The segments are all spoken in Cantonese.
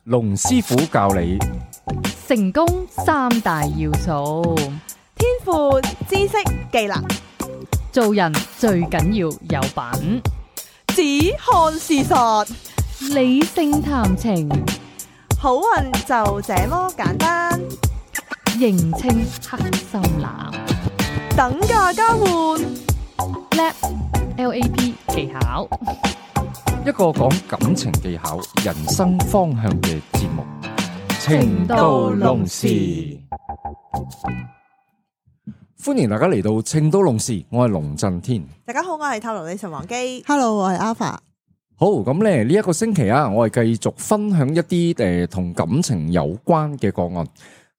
龍師傅教你成功三大要素，天賦、知識、技能，做人最緊要有品，只看事實，理性談情，好運就這麼簡單。認清黑心男，等價交換LAP 技巧，一個講感情技巧、人生方向嘅節目《情到濃時》。歡迎大家嚟到《情到濃時》，我係龍震天。大家好，我係透露女神王姬。Hello，我係 Alpha。好，咁咧呢一個星期啊，我係繼續分享一啲同感情有關嘅個案。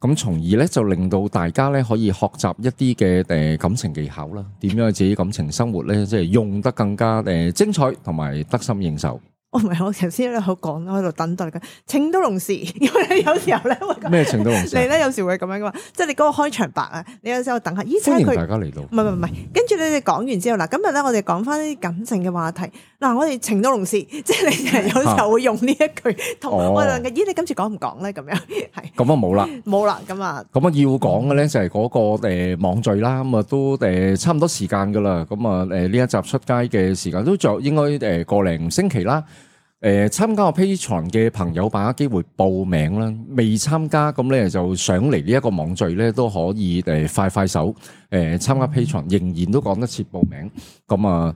咁從而咧就令到大家咧可以學習一啲嘅感情技巧啦，點樣自己感情生活咧，即係用得更加精彩同埋得心應手。唔係，我頭先咧好講，我喺度等待緊情到濃時，因為有時候咧會咩情到濃時？你咧有時會咁樣噶嘛，即係你嗰個開場白啊，你有時候等下，咦？歡迎大家嚟到。唔係，跟住你哋講完之後嗱，今日咧我哋講翻啲感情嘅話題。嗱，我哋情到濃時，即係你有時候會用呢一句，同我哋咦？你今次講唔講咧？咁樣係。咁啊冇啦，冇啦，咁啊。咁啊要講嘅咧就係嗰個網聚啦，咁啊都差唔多時間噶啦，咁啊呢一集出街嘅時間都仲有應該個零星期啦。參加我 Patreon 嘅朋友把握機會報名啦，未參加咁咧就上嚟呢一個網聚咧都可以快手參加 Patreon，仍然都講得切報名。咁啊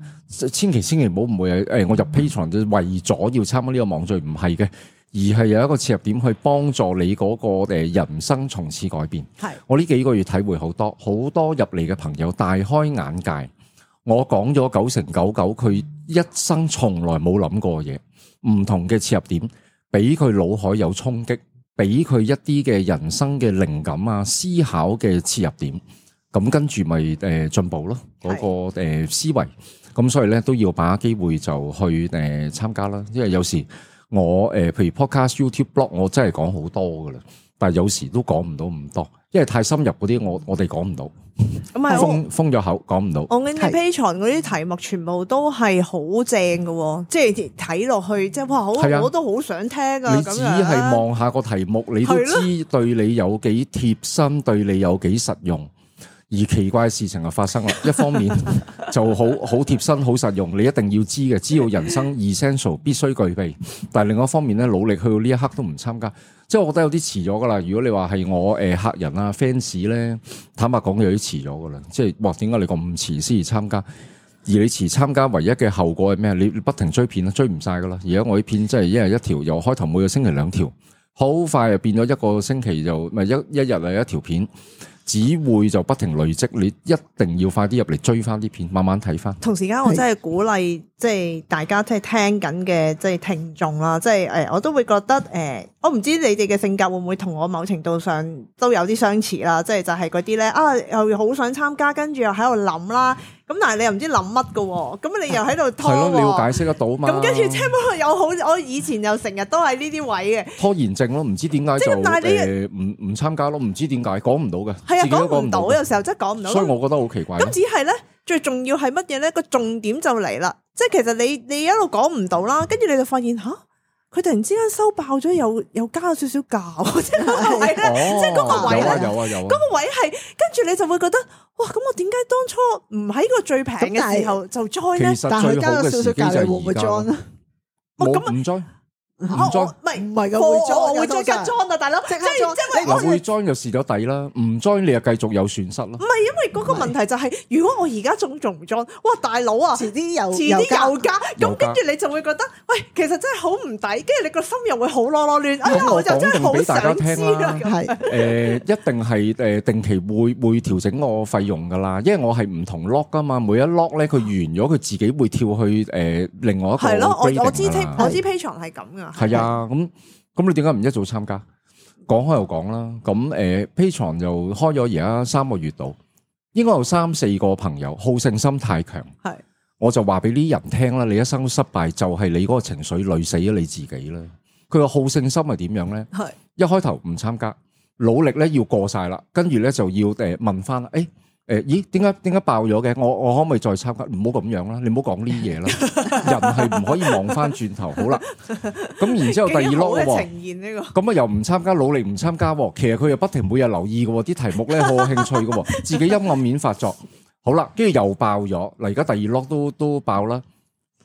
千祈唔好誤會我入 Patreon 就為咗要參加呢個網聚，唔係嘅，而係有一個切入點去幫助你嗰個人生從此改變。係我呢幾個月體會好多入嚟嘅朋友大開眼界。我講咗99%，佢一生從來冇諗過嘢。唔同嘅切入點，俾佢腦海有衝擊，俾佢一啲嘅人生嘅靈感啊、思考嘅切入點，咁跟住咪進步咯，嗰個思維。咁所以咧都要把握機會就去參加啦。因為有時我譬如 podcast、YouTube、blog， 我真係講好多噶啦，但係有時都講唔到咁多，因為太深入嗰啲我哋講唔到。咁係封咗口講唔到。我見你 Patreon 嗰啲題目全部都係好正嘅，即係睇落去即係哇，我都好想聽啊！你只係望下個題目，你都知對你有幾貼身，對你有幾實用。而奇怪嘅事情就發生啦，一方面就好貼身、好實用，你一定要知嘅，知道人生 essential 必須具備。但係另外一方面咧，努力去到呢一刻都唔參加，即係我覺得有啲遲咗噶啦。如果你話係我客人啊 fans 咧，坦白講有啲遲咗噶啦。即係哇，點解你咁遲先至參加？而你遲參加，唯一嘅後果係咩？你不停追片啦，追唔晒噶啦。而家我啲片真係一日一條，由開頭每個星期2條，好快就變咗一個星期就咪一日係一條片。只會就不停累積，你一定要快啲入嚟追翻啲片，慢慢睇翻。同時間我真係鼓勵，即係大家即係聽緊嘅即係聽眾啦，即係我都會覺得我唔知你哋嘅性格會唔會同我某程度上都有啲相似啦，即係就係嗰啲咧又好想參加，跟住又喺度諗啦，咁但係你又唔知諗乜㗎，咁你又喺度拖，係咯，你要解釋得到嘛。咁跟住聽落又好，我以前又成日都係呢啲位嘅拖延症咯，唔知點解就唔參加咯，唔知點解講唔到嘅。係啊，講唔到，有時候真係講唔到，所以我覺得好奇怪。咁只係咧，最重要係乜嘢咧？個重點就嚟啦，即係其實你一路講唔到啦，跟住你就發現吓，佢突然之間收爆咗，又加咗少少價，即係嗰個位咧，即係嗰個位咧，嗰個位係，跟住你就會覺得，哇！咁我點解當初唔喺個最平嘅時候就 join 咧？但係佢加咗少少價，你會唔會 join 啊？唔 join。唔 join 唔係嘅，會再加 join 啊，大佬，即係嗱會 join 就蝕咗底啦，唔 join 你又繼續有損失咯。唔係因為嗰個問題就係，如果我而家仲唔 join，哇大佬啊，遲啲又加，咁跟住你就會覺得，喂，其實真係好唔抵，跟住你個心又會好囉囉攣。咁我就真係好俾大家聽想啦，係一定係定期會調整個費用噶啦，因為我係唔同 lock 噶嘛，每一 lock 咧佢完咗佢自己會跳去另外一個。係咯，我知 Patreon 係咁噶。係啊，咁你點解唔一早參加？講開又講啦，咁Patreon 就開咗而家3個月度，應該有3-4個朋友好勝心太強，係我就話俾啲人聽啦，你一生失敗就係你嗰個情緒累死咗你自己啦。佢個好勝心係點樣咧？係一開頭唔參加，努力咧要過晒啦，跟住咧就要問翻，咦？點解爆咗嘅？我可唔可以再參加？唔好咁樣啦，你唔好講呢啲嘢啦。人係唔可以望翻轉頭。好啦，咁然之後第二 lock 嘅呈現呢個，咁啊又唔參加，努力唔參加喎。其實佢又不停每日留意嘅喎，啲題目咧好有興趣嘅喎，自己陰暗面發作。好啦，跟住又爆咗。嗱，而家第二 lock 都爆啦。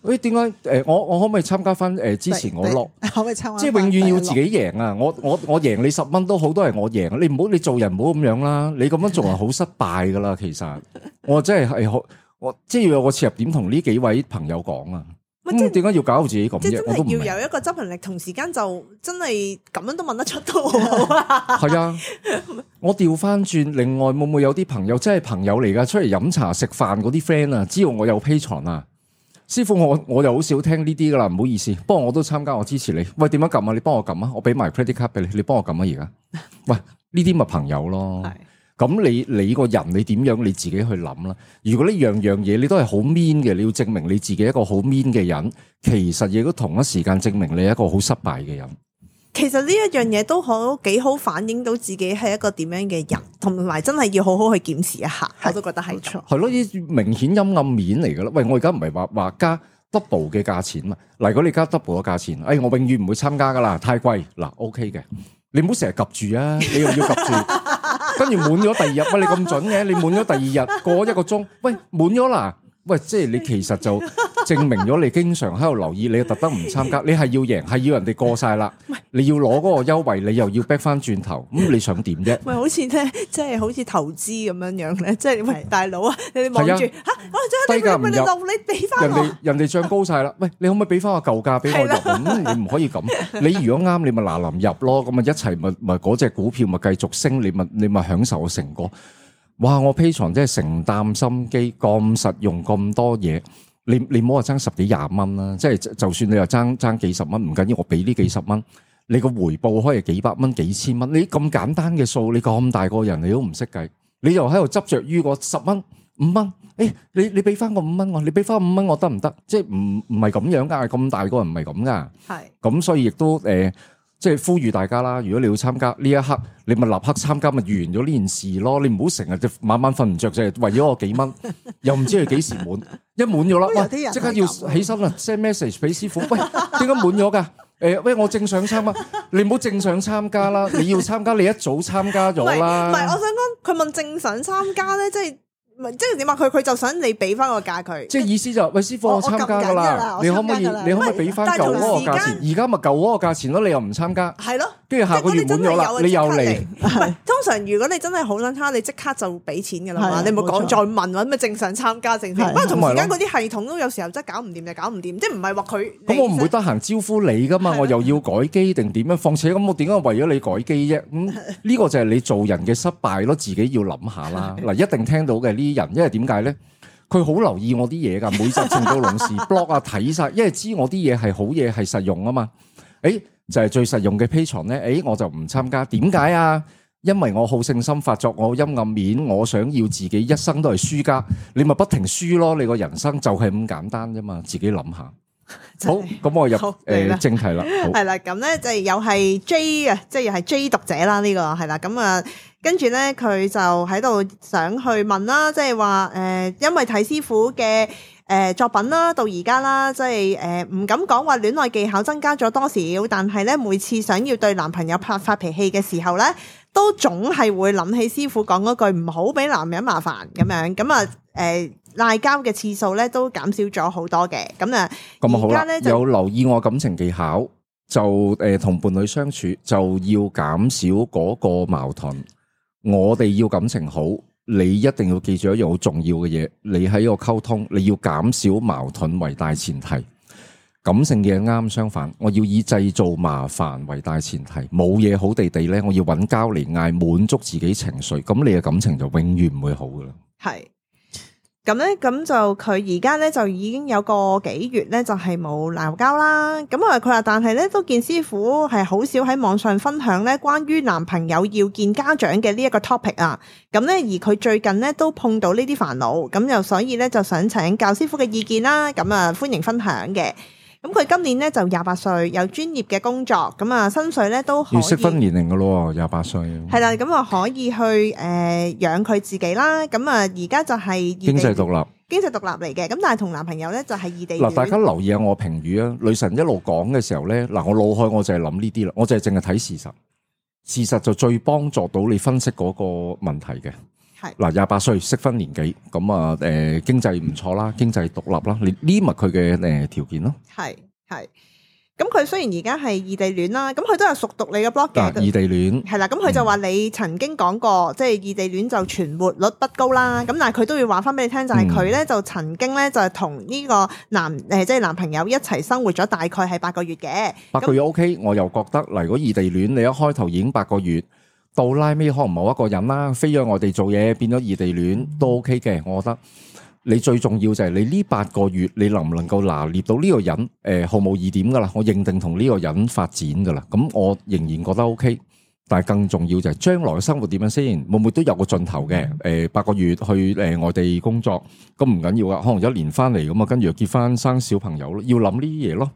誒點解我可唔可以參加翻之前我 lock？可唔可以參加？即係永遠要自己贏啊！我贏你10蚊都好，都係我贏。你做人唔好咁樣啦，你咁樣做人好失敗噶啦。其實我真係我即係要有個切入點同呢幾位朋友講啊。咁點解要搞到自己咁啫？我都唔明。要有一個執行力，同時間就真係咁樣都問得出都好好啊。係啊，我調翻轉，另外會唔會有啲朋友真係朋友嚟噶？出嚟飲茶食飯嗰啲 friend 啊，知道我有 Patreon啊。師傅，我就好少聽呢啲噶啦，唔好意思。不過我都參加，我支持你。喂，點樣撳啊？你幫我撳啊！我俾埋 credit card 俾你，你幫我撳啊！而家，喂，呢啲咪朋友咯。咁你個人你點樣你自己去諗啦。如果呢樣嘢你都係好 mean 嘅，你要證明你自己一個好 mean 嘅人，其實亦都同一時間證明你係一個好失敗嘅人。其實呢一樣嘢都幾好反映到自己係一個點樣嘅人，同埋真係要好好去檢視一下。我都覺得係錯。係咯，呢明顯陰暗面嚟噶啦。喂，我而家唔係話加 double 嘅價錢嘛。嗱，如果你加 double 嘅價錢，我永遠唔會參加噶啦，太貴。嗱 ，OK 嘅，你唔好成日及住啊，你又要及住，跟住滿咗第二日，喂，你咁準嘅，你滿咗第二日過1個鐘，喂，滿咗啦。喂，即係你其實就證明咗你經常喺度留意，你特登唔參加，你係要贏，係要人哋過晒啦，你要攞嗰個優惠，你又要逼翻轉頭，咁你想點啫？喂，好似咧，即係好似投資咁樣樣咧，即係喂大佬啊，你望住嚇，我低價唔入，你俾翻我，人哋漲高晒啦，喂，你可唔可以俾翻個舊價俾我入？咁你唔可以咁，你如果啱，你咪嗱臨入咯，咁咪一齊咪嗰隻股票咪繼續升，你咪享受個成果。哇！我 Patreon 真係承擔心機咁實用咁多嘢，你唔好話爭10幾20蚊啦，即係就算你話爭幾十蚊唔緊要，我俾呢幾十蚊，你個回報可以幾百蚊、幾千蚊，你咁簡單嘅數，你咁大個人你都唔識計，你又喺度執着於個10蚊、5蚊，你俾翻個5蚊我，你俾翻5蚊我得唔得？即係唔係咁樣噶，咁大個人唔係咁噶，係咁所以亦都即係呼籲大家啦，如果你要參加呢一刻，你咪立刻參加，咪完咗呢件事咯。你唔好成日就晚晚瞓唔着，就係為咗我幾蚊，又唔知佢幾時滿，一滿咗啦，喂，即刻要起身啦 ，send message 俾師傅，喂，點解滿咗噶？喂，我正想參加，你唔好正想參加啦，你要參加，你一早參加咗啦。唔係，我想講，佢問正想參加咧，即係。即係點啊？佢就想你俾翻個價佢，即係意思就喂師傅，我參加噶啦，你可唔可以俾翻舊嗰個價錢？而家咪舊嗰個價錢咯，你又唔參加，係咯？跟住下個月滿咗啦，你又嚟。通常如果你真係好想參加，你即刻就俾錢噶啦嘛，你唔好講再問或者咩正常參加正常。不過同時間嗰啲系統都有時候真係搞唔掂就搞唔掂，即係唔係話佢。咁我唔會得閒招呼你噶嘛，我又要改機定點樣？況且咁我點解為咗你改機啫？咁呢個就係你做人嘅失敗咯，自己要諗下啦。嗱，一定聽到嘅呢。人，因為點解咧？佢好留意我啲嘢噶，每集情到濃時 blog 啊睇晒，因為知我啲嘢係好嘢，係實用啊嘛。就係最實用嘅 Patreon 咧，我就唔參加。點解啊？因為我好勝心發作，我陰暗面，我想要自己一生都係輸家，你咪不停輸咯。你個人生就係咁簡單啫嘛，自己諗下。好，咁我入正題啦。係啦，咁咧就又係 J 啊，即係又係 J 讀者啦。呢個係啦，咁啊。跟住咧，佢就喺度想去問啦，即係話因為睇師傅嘅作品啦，到而家啦，即係唔敢講話戀愛技巧增加咗多少，但係咧每次想要對男朋友發脾氣嘅時候咧，都總係會諗起師傅講嗰句唔好俾男人麻煩咁樣，咁啊賴交嘅次數咧都減少咗好多嘅，咁啊而家咧有留意我感情技巧，就同伴侶相處就要減少嗰個矛盾。我哋要感情好，你一定要記住一樣好重要嘅嘢，你喺個溝通，你要減少矛盾為大前提。感性嘅啱相反，我要以製造麻煩為大前提。冇嘢好地地咧，我要揾交嚟嗌滿足自己情緒，咁你嘅感情就永遠唔會好噶啦。係。咁咧，咁就佢而家咧就已經有個幾月咧，就係冇鬧交啦。咁啊，佢話但係咧都見師傅係好少喺網上分享咧關於男朋友要見家長嘅呢一個 topic 啊。咁咧而佢最近咧都碰到呢啲煩惱，咁又所以咧就想請教師傅嘅意見啦。咁啊歡迎分享嘅。咁佢今年咧就28歲，有專業嘅工作，咁啊薪水咧都可以要適婚年齡噶咯，28歲。係啦，咁啊可以去養佢自己啦。咁啊而家就係異地經濟獨立。經濟獨立嚟嘅，咁但係同男朋友咧就係異地戀。嗱，大家留意下我評語啊，女神一路講嘅時候咧，嗱我腦海我就係諗呢啲啦，我就係淨係睇事實，事實就最幫助到你分析嗰個問題嘅。係嗱，28歲適婚年紀，咁啊經濟唔錯啦，經濟獨立啦，你呢咪佢嘅條件咯。係。咁佢雖然而家係異地戀啦，咁佢都有熟讀你嘅 blog 嘅。異地戀係啦，咁佢就話你曾經講過，即係異地戀就存活率不高啦。咁但係佢都要話翻俾你聽，就係佢咧就曾經咧就係同呢個即係男朋友一齊生活咗大概係8個月嘅。8個月 OK，我又覺得嗱，如果異地戀你一開頭已經8個月，到拉尾可能某一個人啦，飛咗外地做嘢變咗異地戀都 OK 嘅，我覺得。你最重要就係你呢8個月，你能唔能夠拿捏到呢個人？毫無疑點噶啦，我認定同呢個人發展噶啦。咁我仍然覺得 OK，但係更重要就係將來嘅生活點樣先？會唔會都有個盡頭嘅？8個月去外地工作，咁唔緊要噶，可能1年翻嚟咁啊，跟住又結翻生小朋友咯，要諗呢啲嘢咯。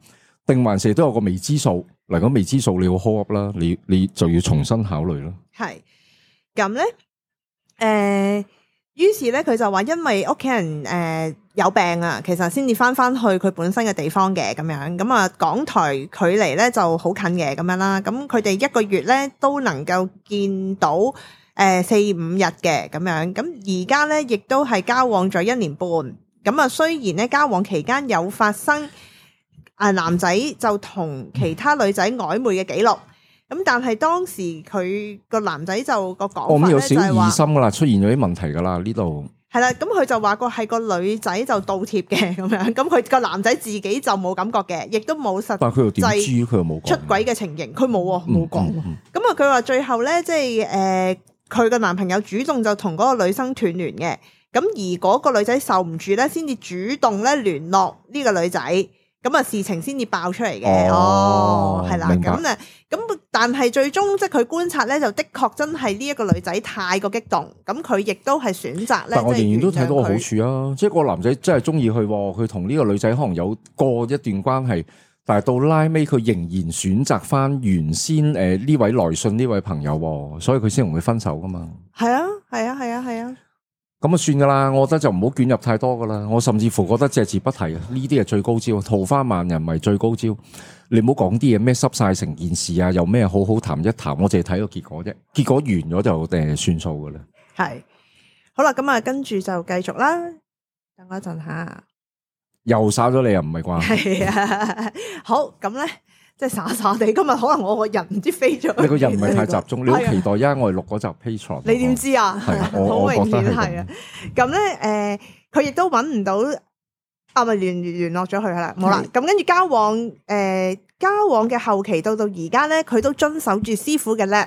定還是都有個未知數？嗱，咁未知數你要 hold up 啦，你就要重新考慮咯。係咁咧，於是咧，佢就話因為屋企人有病啊，其實先至翻去佢本身嘅地方嘅咁樣。咁啊，港台距離咧就好近嘅咁樣啦。咁佢哋1個月咧都能夠見到4-5日嘅咁樣。咁而家咧亦都係交往咗1年半。咁啊，雖然咧交往期間有發生男仔就同其他女仔曖昧嘅記錄。咁但係當時佢個男仔就個講法咧就係話，有少疑心噶啦，出現咗啲問題噶啦呢度。係啦，咁佢就話係個女仔就倒貼嘅咁樣，咁佢個男仔自己就冇感覺嘅，亦都冇實際。但係佢又點知？佢又冇講出軌嘅情形，佢冇冇講。咁啊，佢話最後咧，即係佢個男朋友主動就同嗰個女生斷聯嘅，咁而嗰個女仔受唔住咧，先至主動咧聯絡呢個女仔。咁啊，事情先至爆出嚟嘅。係啦，咁但係最終即係佢觀察咧，就的確真係呢一個女仔太過激動，咁佢亦都係選擇咧。但我仍然都睇到個好處啊，即係個男仔真係中意佢，佢同呢個女仔可能有過一段關係，但係到拉尾佢仍然選擇翻原先呢位來信呢位朋友，所以佢先同佢分手噶嘛。係啊。咁啊算噶啦，我覺得就唔好捲入太多噶啦。我甚至乎覺得隻字不提啊，呢啲係最高招，桃花萬人迷最高招。你唔好講啲嘢咩濕晒成件事啊，又咩好好談一談，我淨係睇個結果啫。結果完咗就算數噶啦。係，好啦，咁啊跟住就繼續啦。等我一陣吓，又耍咗你啊？唔係啩？係啊，好咁咧。即係傻傻地，今日可能我個人唔知飛咗。你個人唔係太集中，你好期待因我哋錄嗰集 Patreon。你點知啊？係啊，好明顯係係啊。咁咧，佢亦都揾唔到，咪聯絡咗佢啦，冇啦。咁跟住交往嘅後期到而家咧，佢都遵守住師傅嘅叻，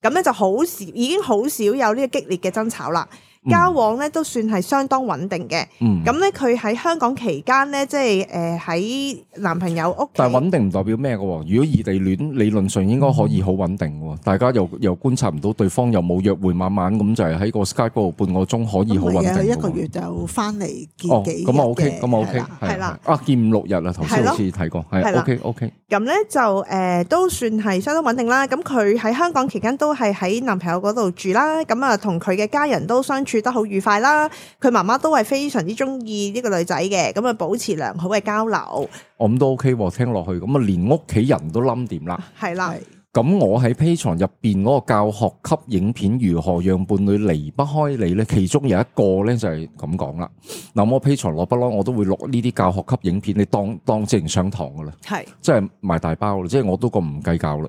咁咧就好少，已經好少有呢個激烈嘅爭吵啦。交往咧都算係相當穩定嘅，咁咧佢喺香港期間咧，即係喺男朋友屋企。但係穩定唔代表咩嘅？如果異地戀，理論上應該可以好穩定喎。大家又觀察唔到對方又冇約會，晚晚咁就係喺個 Skype 嗰度半個鐘可以好穩定。1個月就翻嚟見幾日嘅。咁啊 OK，咁啊 OK，係啦。見5-6日啦，頭先好似睇過，係 OK。咁咧就都算係相當穩定啦。咁佢喺香港期間都係喺男朋友嗰度住啦。咁啊同佢嘅家人都相處得好愉快啦，佢媽媽都係非常之中意呢個女仔嘅，咁啊保持良好嘅交流。我咁都 OK，聽落去咁啊，連屋企人都冧掂啦。係啦，咁我喺 Patreon 入邊嗰個教學級影片如何讓伴侶離不開你咧，其中有一個咧就係咁講啦。嗱，我 Patreon 攞不嬲，我都會錄呢啲教學級影片，你當正上堂噶啦，係即係賣大包啦，即係我都咁唔計較啦。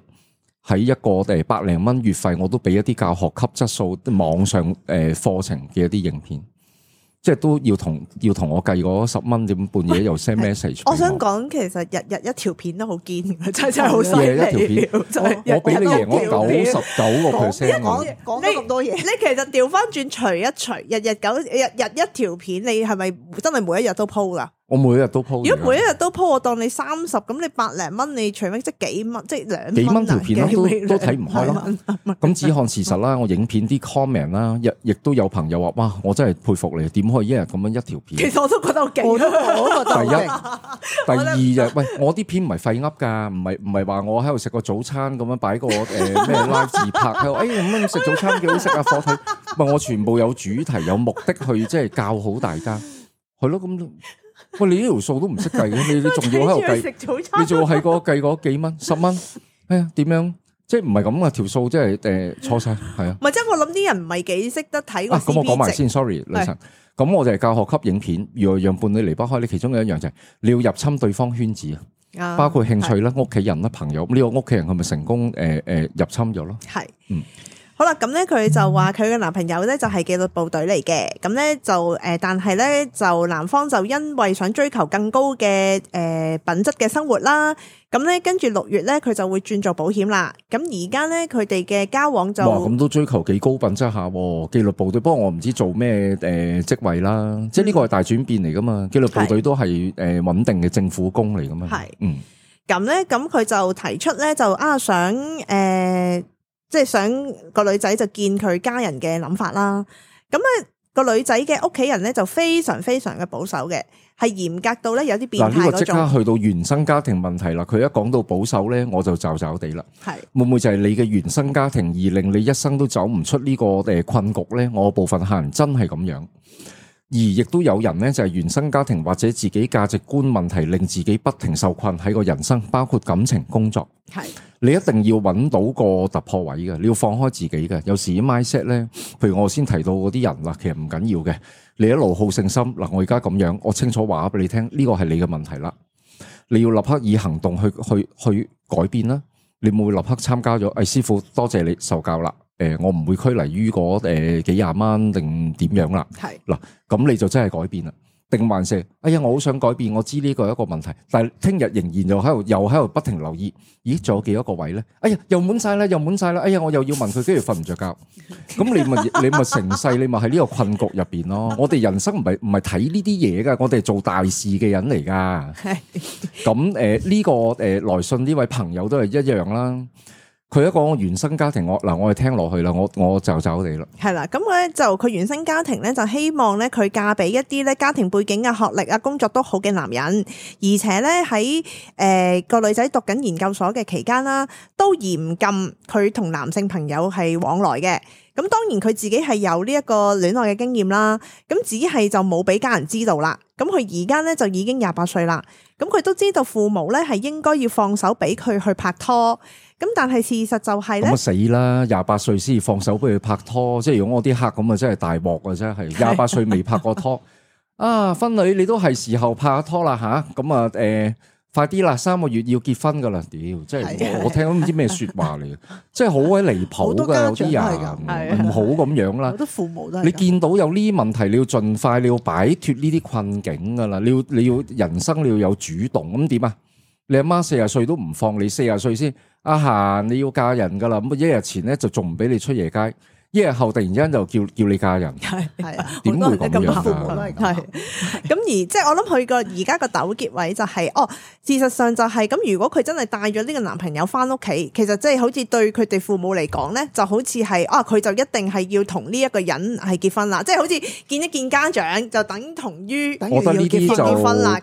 喺一個百零蚊月費，我都俾一啲教學級質素網上課程嘅一啲影片，即係都要同我計嗰10蚊點半夜又 send message。我想講其實日一條片都好堅，真係好犀利。一條片，我俾你贏我99%。講咗咁多嘢，你其實調翻轉除一除，日一條片，你係咪真係每一日都 po 噶？我每一日都 po。如果每一日都 po，我當你30，咁你百零蚊，你除非即係幾蚊，即係2蚊幾蚊條片咯，都睇唔開咯。咁只看事實啦，我影片啲 comment 啦，亦都有朋友話：哇，我真係佩服你，點可以一日咁樣一條片？其實我都覺得好勁，我都覺得好勁。第二就喂，我啲片唔係廢噏㗎，唔係話我喺度食個早餐咁樣擺個咩 live 自拍喺度，咁樣食早餐幾好食啊！火腿，唔係我全部有主題有目的去即係教好大家，係咯咁。喂，你呢條數都唔識計嘅，你仲要喺度計，你仲要係個計嗰幾蚊10蚊，哎呀點樣？即係唔係咁啊？條數即係錯晒，係啊。唔係即係我諗啲人唔係幾識得睇個 CP 值。咁我講埋先 ，sorry， 女神。咁我哋係教學級影片，要讓伴侶離不開你。其中有一樣就係你要入侵對方圈子啊，包括興趣啦、屋企人啦、朋友。呢個屋企人係咪成功入侵咗咯？係，好啦，咁咧佢就話佢嘅男朋友咧就係紀律部隊嚟嘅，咁咧就但係咧就男方就因為想追求更高嘅品質嘅生活啦，咁咧跟住6月咧佢就會轉做保險啦。咁而家咧佢哋嘅交往就哇，咁都追求幾高品質下喎，紀律部隊。不過我唔知做咩職位啦，即係呢個係大轉變嚟噶嘛。紀律部隊都係穩定嘅政府工嚟噶嘛。係，咁咧咁佢就提出咧就想即係想個女仔就見佢家人嘅諗法啦，咁咧個女仔嘅屋企人咧就非常非常嘅保守嘅，係嚴格到咧有啲變態嗰種。嗱，呢個即刻去到原生家庭問題啦。佢一講到保守咧，我就驟驟地啦。係會唔會就係你嘅原生家庭而令你一生都走唔出呢個困局咧？我部分客人真係咁樣。而亦都有人咧，就係原生家庭或者自己價值觀問題，令自己不停受困喺個人生，包括感情、工作。係你一定要揾到個突破位嘅，你要放開自己嘅。有時 mindset 咧，譬如我先提到嗰啲人啦，其實唔緊要嘅。你一路好勝心嗱，我而家咁樣，我清楚話俾你聽，呢個係你嘅問題啦。你要立刻以行動去改變啦。你冇立刻參加咗，師傅多謝你受教啦。我唔會拘泥於嗰幾廿蚊定點樣啦。係嗱，咁你就真係改變啦。定還是哎呀，我好想改變，我知呢個係一個問題，但係聽日仍然又喺度不停留意，咦，仲有幾多個位咧？哎呀，又滿晒啦，哎呀，我又要問佢，跟住瞓唔着覺。咁你咪成世你咪喺呢個困局入邊咯。我哋人生唔係睇呢啲嘢噶，我哋係做大事嘅人嚟噶。係咁呢個來信呢位朋友都係一樣啦。佢一個原生家庭，我哋聽落去啦，我就走地啦。係啦，咁咧就佢原生家庭咧就希望咧佢嫁俾一啲咧家庭背景啊、學歷啊、工作都好嘅男人，而且咧喺個女仔讀緊研究所嘅期間啦，都嚴禁佢同男性朋友係往來嘅。咁當然佢自己係有呢一個戀愛嘅經驗啦，咁只係就冇俾家人知道啦。咁佢而家咧就已經28歲啦，咁佢都知道父母咧係應該要放手俾佢去拍拖。咁但係事實就係咧，咁死啦！28歲先放手俾佢拍拖，即係如果我啲客咁啊，真係大鑊啊！真係28歲未拍過拖啊，婚女你都係時候拍拖啦吓，咁啊快啲啦，3個月要結婚噶啦，屌！即係我聽都唔知咩說話嚟嘅，即係好鬼離譜噶，有啲人唔好咁樣啦。好多父母都係你見到有呢啲問題，你要盡快，你要擺脫呢啲困境噶啦，你要人生你要有主動，咁點啊？你阿媽40歲都唔放你，40歲先阿嫻你要嫁人噶啦，咁1日前咧就仲唔俾你出夜街，1日後突然間就叫你嫁人，係啊，點會咁樣啊？係咁而即係我諗佢個而家個糾結位就係事實上就係咁，如果佢真係帶咗呢個男朋友翻屋企，其實即係好似對佢哋父母嚟講咧，就好似係佢就一定係要同呢一個人係結婚啦，即係好似見一見家長就等同於我覺得呢啲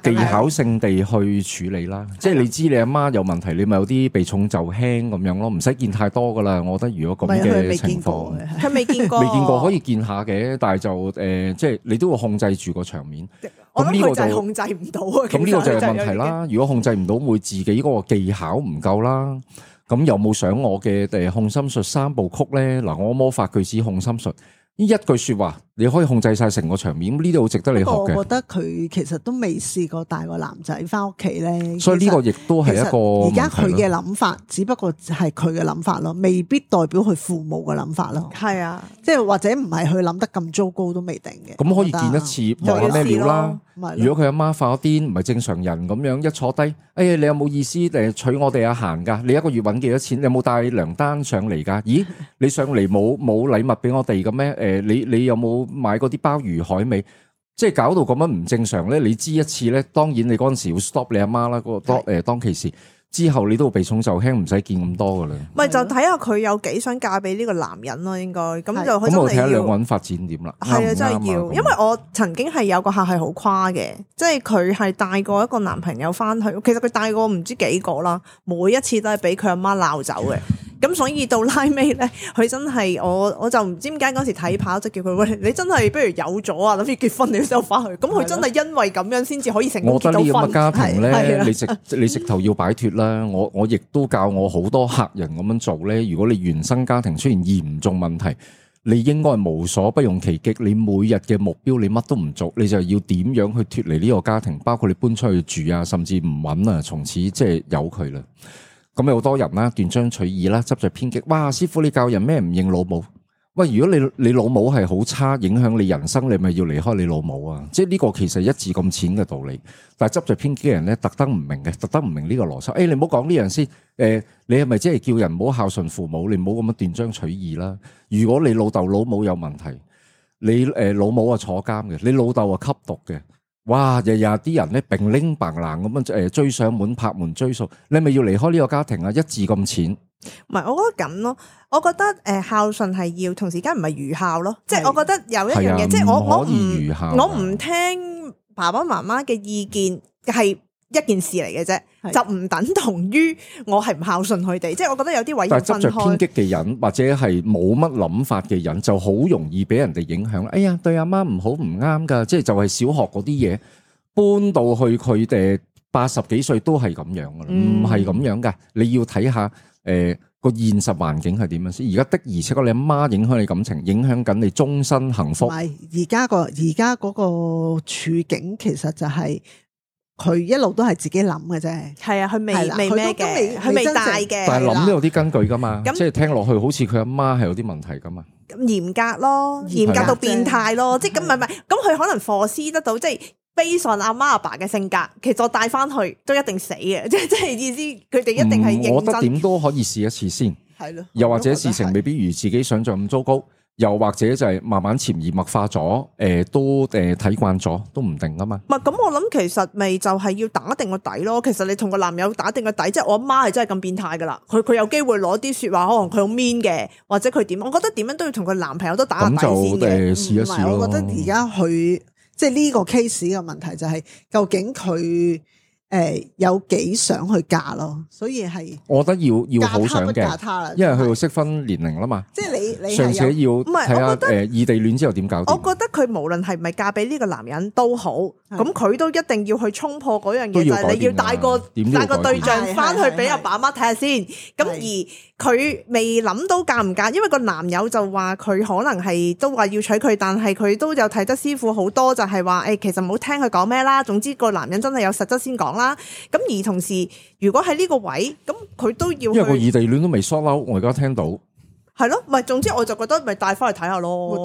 就技巧性地去處理啦，即係你知你阿媽有問題，你咪有啲避重就輕咁樣咯，唔使見太多噶啦。我覺得如果咁嘅情況，佢未見過可以見下嘅，但係就即係你都會控制住個場面。我諗佢就係控制唔到啊。咁呢個就係問題啦。如果控制唔到，會自己嗰個技巧唔夠啦。咁有冇想我嘅控心術3部曲咧？嗱，我魔法句子控心術呢一句說話，你可以控制晒成個場面，呢啲好值得你學嘅。我覺得佢其實都未試過帶個男仔翻屋企咧，所以呢個亦都係一個而家佢嘅諗法，只不過係佢嘅諗法咯，未必代表佢父母嘅諗法咯。係啊，即係或者唔係佢諗得咁糟糕都未定嘅。咁可以見一次望下咩料啦。如果佢阿媽發咗癲，唔係正常人咁樣一坐低，哎呀，你有冇意思娶我哋阿嫻噶？你一個月搵幾多錢？你有冇帶糧單上嚟噶？咦，你上嚟冇禮物俾我哋嘅咩？你有冇買嗰啲鮑魚海味？即係搞到咁樣唔正常咧，你知一次咧，當然你嗰陣時要 stop 你阿媽啦，當其時之後你都避重就輕，唔使見咁多噶啦。咪就睇下佢有幾想嫁俾呢個男人咯，應該咁就咁我睇下兩個人發展點啦。係啊，真係要，因為我曾經係有個客係好誇嘅，即係佢係帶過一個男朋友翻去，其實佢帶過唔知幾個啦，每一次都係俾佢阿媽鬧走嘅。咁所以到拉尾咧，佢真係我就唔知點解嗰時睇跑就叫佢喂，你真係不如有咗啊，諗住結婚你先翻去。咁佢真係因為咁樣先至可以成功結到婚。我覺得呢咁嘅家庭咧，你直頭要擺脱啦。我亦都教我好多客人咁樣做咧。如果你原生家庭出現嚴重問題，你應該係無所不用其極。你每日嘅目標，你乜都唔做，你就要點樣去脱離呢個家庭？包括你搬出去住啊，甚至唔揾啊，從此即係由佢啦。咁有好多人啦，斷章取義啦，執着偏激。哇，師傅你教人咩唔認老母？喂，如果你老母係好差，影響你人生，你咪要離開你老母啊！即係呢個其實一字咁淺嘅道理，但係執着偏激嘅人咧，特登唔明嘅，特登唔明呢個邏輯。你唔好講呢樣先。你係咪即係叫人唔好孝順父母？你唔好咁樣斷章取義啦。如果你老豆老母有問題，你老母啊坐監嘅，你老豆啊吸毒嘅。哇！日日啲人咧并拎白冷咁樣追上門拍門追數，你咪要離開呢個家庭啊！一字咁淺，唔係，我覺得咁咯。我覺得孝順係要同時間唔係愚孝咯，即係我覺得有一樣嘢，即係我唔聽爸爸媽媽嘅意見係一件事嚟嘅啫，就唔等同於我係唔孝順佢哋。即係我覺得有啲位要分開。但係執着偏激嘅人或者係冇乜諗法嘅人，就好容易俾人哋影響。哎呀，對阿媽唔好唔啱噶，即係就係小學嗰啲嘢搬到去佢哋80幾歲都係咁樣噶啦，唔係咁樣噶。你要睇下個現實環境係點樣先。而家的而且確你阿媽影響你感情，影響緊你終身幸福。唔係而家嗰個處境其實就係、佢一路都係自己諗嘅啫，係啊，佢未咩嘅，佢未大嘅。但係諗都有啲根據噶嘛，即係聽落去好似佢阿媽係有啲問題噶嘛。咁嚴格咯，嚴格到變態咯，即係咁唔係，咁佢可能force得到，即係 base on阿媽阿爸嘅性格，其實我帶翻去都一定死嘅，即係意思佢哋一定係認真。我覺得點都可以試一次先，係咯。又或者事情未必如自己想象咁糟糕。又或者就係慢慢潛移默化咗，都睇慣咗，都唔定噶嘛。唔係咁，我諗其實咪就係要打定個底咯。其實你同個男友打定個底，即係我阿媽係真係咁變態噶啦。佢有機會攞啲說話，可能佢好 mean 嘅，或者佢點？我覺得點樣都要同佢男朋友都打下底先嘅。試一試咯。我覺得而家佢即係呢個 case 嘅問題就係究竟佢有幾想去嫁咯，所以係我覺得要好想嘅，因為佢要適婚年齡啦嘛。即係你尚且要睇下異地戀之後點搞掂。我覺得佢無論係咪嫁俾呢個男人都好，咁佢都一定要去衝破嗰樣嘢，就係你要帶個對象翻去俾阿爸媽睇下先。咁而佢未諗到嫁唔嫁，因為個男友就話佢可能係都話要娶佢，但係佢都有睇得師傅好多，就係話其實唔好聽佢講咩啦。總之個男人真係有實質先講啦。咁而同時，如果喺呢個位，咁佢都要去，因為個異地戀都未 sort out，我而家聽到係咯，唔係總之我就覺得咪帶翻去睇下咯。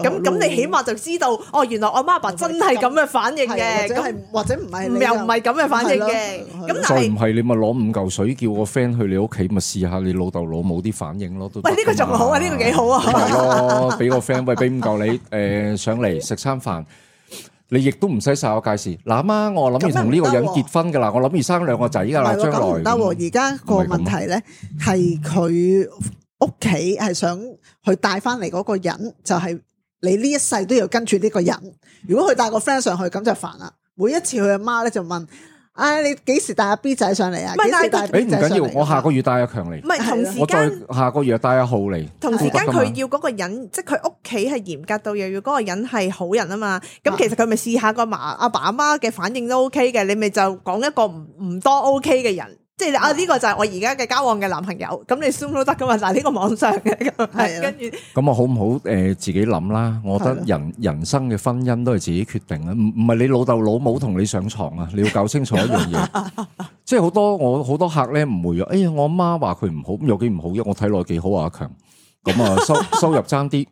咁你起碼就知道，哦，原來我媽爸真係咁嘅反應嘅，或者唔係又唔係咁嘅反應嘅。咁再唔係你咪攞5嚿水叫個 friend 去你屋企，咪試下你老豆老母啲反應咯。喂，呢個仲好啊，呢個幾好啊。係咯，俾個 friend 喂，俾5嚿你上嚟食餐飯。你亦都唔使晒我介紹，嗱媽，我諗住同呢個人結婚噶啦，我諗住生2個仔噶啦，將來唔得。而家個問題咧係佢屋企係想去帶翻嚟嗰個人，就係你呢一世都要跟住呢個人。如果佢帶個 friend 上去，咁就煩啦。每一次佢阿媽咧就問。你幾時帶阿 B 仔上嚟啊？幾時帶 B 仔上嚟？唔緊要，我下個月帶阿強嚟。唔係同時間，我再下個月帶阿浩嚟。同時間佢要嗰個人，即係佢屋企係嚴格到又要嗰個人係好人啊嘛。咁其實佢咪試下個阿爸阿媽嘅反應都 OK 嘅，你咪就講一個唔多 OK 嘅人。即係呢個就係我而家嘅交往嘅男朋友，咁你 Zoom 都得噶嘛？但係呢個網上嘅咁，係跟住咁我好唔好自己諗啦？我覺得人生嘅婚姻都係自己決定啦，唔係你老豆老母同你上床啊！你要搞清楚一樣嘢，即係我好多客咧誤會咗。哎呀，我阿媽話佢唔好，咁有幾唔好啫？我睇落幾好啊，阿強。咁啊收入爭啲，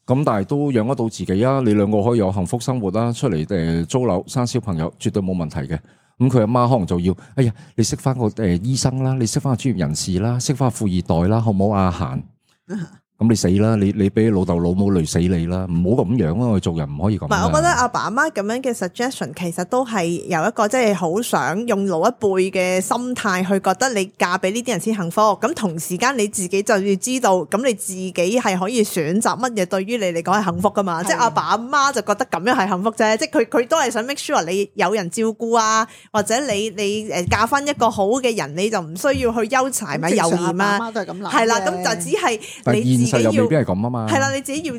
咁但係都養得到自己啊！你兩個可以有幸福生活啦，出嚟租樓生小朋友，絕對冇問題嘅。咁佢阿媽可能就要，哎呀，你識翻個醫生啦，你識翻個專業人士啦，識翻個富二代啦，好唔好啊？閒咁你死啦！你俾老豆老母累死你啦！唔好咁樣啊！我做人唔可以咁。唔係，我覺得阿爸阿媽咁樣嘅 suggestion 其實都係有一個即係好想用老一輩嘅心態去覺得你嫁俾呢啲人先幸福。咁同時間你自己就要知道，咁你自己係可以選擇乜嘢對於你嚟講係幸福噶嘛？即係阿爸阿媽就覺得咁樣係幸福啫。即係佢都係想 make sure 你有人照顧啊，或者你誒嫁翻一個好嘅人，你就唔需要去憂柴米油鹽啊。媽都係咁諗。係啦，咁就只係你自己又未必係咁啊嘛，係啦，你自己要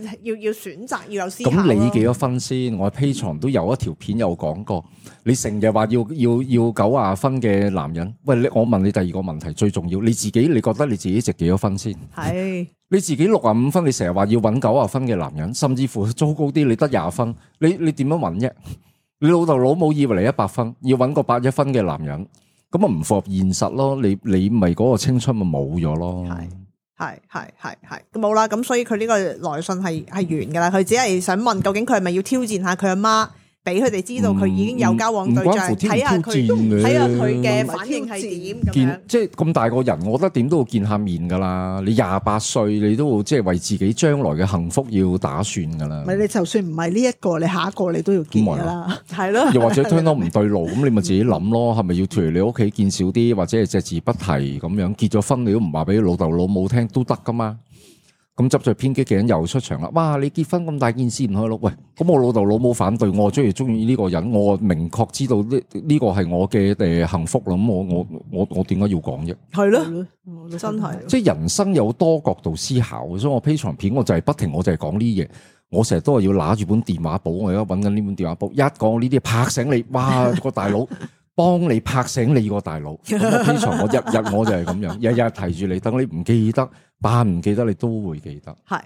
選擇，要有思考。咁你幾多分先？我喺 Patreon 都有一條片有講過，你成日話要90分嘅男人，喂，我問你第二個問題，最重要，你覺得你自己值幾多分先？係你自己65分，你成日話要揾90分嘅男人，甚至乎糟糕啲，你得20分，你點樣揾啫？你老豆老母以為你100分，要揾個81分嘅男人，咁啊唔符合現實咯。你咪嗰個青春咪冇咗咯。係冇啦，咁所以佢呢個來信係完噶啦，佢只係想問究竟佢係咪要挑戰下佢阿媽，俾佢哋知道佢已經有交往對象，睇下佢嘅反應係點咁樣。即係咁大個人，我覺得點都要見下面噶啦。你28歲，你都即係為自己將來嘅幸福要打算噶啦。唔係你就算唔係呢一個，你下一個你都要見噶啦，係咯。又或者聽到唔對路，咁你咪自己諗咯，係咪要脫離你屋企見少啲，或者係隻字不提咁樣？結咗婚你都唔話俾老豆老母聽都得噶嘛？咁執着偏激嘅人又出場啦！哇，你結婚咁大件事唔開咯？喂，咁我老豆老母反對，我中意呢個人，我明確知道呢個係我嘅幸福啦。咁我點解要講啫？係咯，真係。即係人生有多角度思考，所以我 Patreon 片我就係不停，我就係講呢啲嘢。我成日都係要拿住本電話簿，我而家揾緊呢本電話簿，一講呢啲拍醒你，哇個大佬！幫你拍醒你個大佬，咁我 Patreon我日我就係咁樣，日日提住你，等你唔記得，扮唔記得你都會記得。係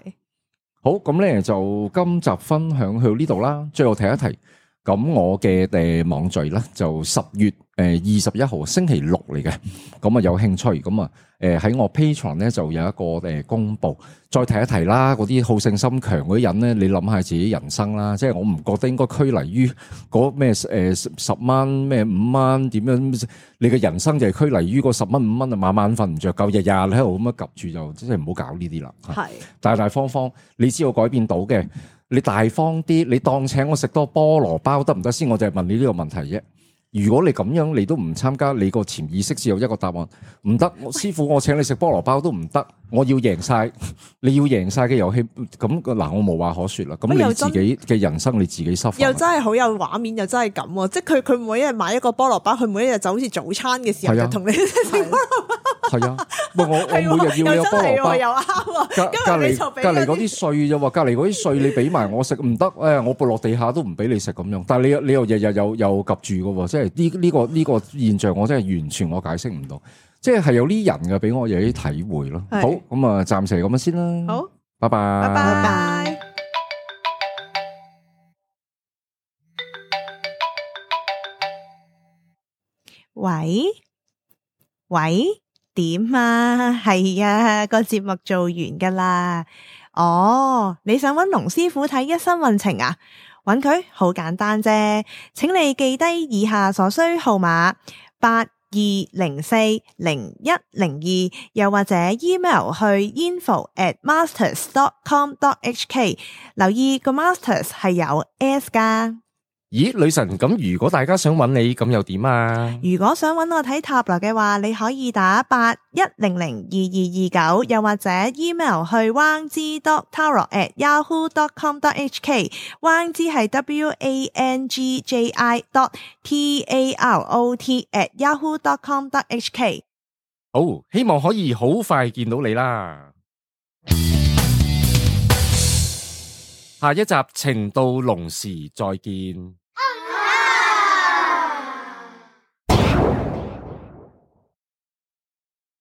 好，咁咧就今集分享去到呢度啦。最後提一提，咁我嘅網聚咧就10月21號星期六嚟嘅，咁啊有興趣咁啊喺我 Patreon 咧就有一個公布，再提一提啦。嗰啲好勝心強嗰啲人咧，你諗下自己人生啦，即係我唔覺得應該拘泥於嗰咩10蚊咩5蚊點樣，你嘅人生就係拘泥於個10蚊5蚊啊，晚晚瞓唔着覺，日日喺度咁樣夾住就即係唔好搞呢啲啦。係大方，你知道改變到嘅，你大方啲，你當請我食多菠蘿包得唔得先？我就係問你呢個問題啫。如果你咁樣你都唔參加，你個潛意識只有一個答案，唔得，師傅我請你食菠蘿包都唔得，我要贏晒，你要贏晒嘅遊戲，咁嗱我無話可說啦。咁你自己嘅人生你自己收，又真係好有畫面，又真係咁，即係佢每一日買一個菠蘿包，佢每一日就好似早餐嘅時候就同你食菠蘿包。係啊，喂我每日要有菠蘿包，又啱。隔離嗰啲碎啫喎，隔離嗰啲碎你俾埋我食唔得，我撥落地下都唔俾你食咁樣。但係你又日日又夾住嘅喎，即係呢個現象我真係完全我解釋唔到，即係有啲人嘅俾我有啲體會咯。好，咁啊暫時咁樣先啦。好，拜拜。拜拜。喂，點啊？係啊，個節目做完噶啦。哦，你想揾龍師傅睇一生運程啊？揾佢好簡單啫，請你記低以下所需號碼82040102，又或者 email 去 info@masters.com.hk， 留意個 masters 係有 S 噶。咦，女神，咁如果大家想揾你，咁又點啊？如果想揾我睇塔羅嘅話，你可以打81002229，又或者 email 去 wangji.tarot@yahoo.com.hk， wangji 係 WANGJI.TAROT@yahoo.com.hk。好，希望可以好快見到你啦。下一集情到濃時再見。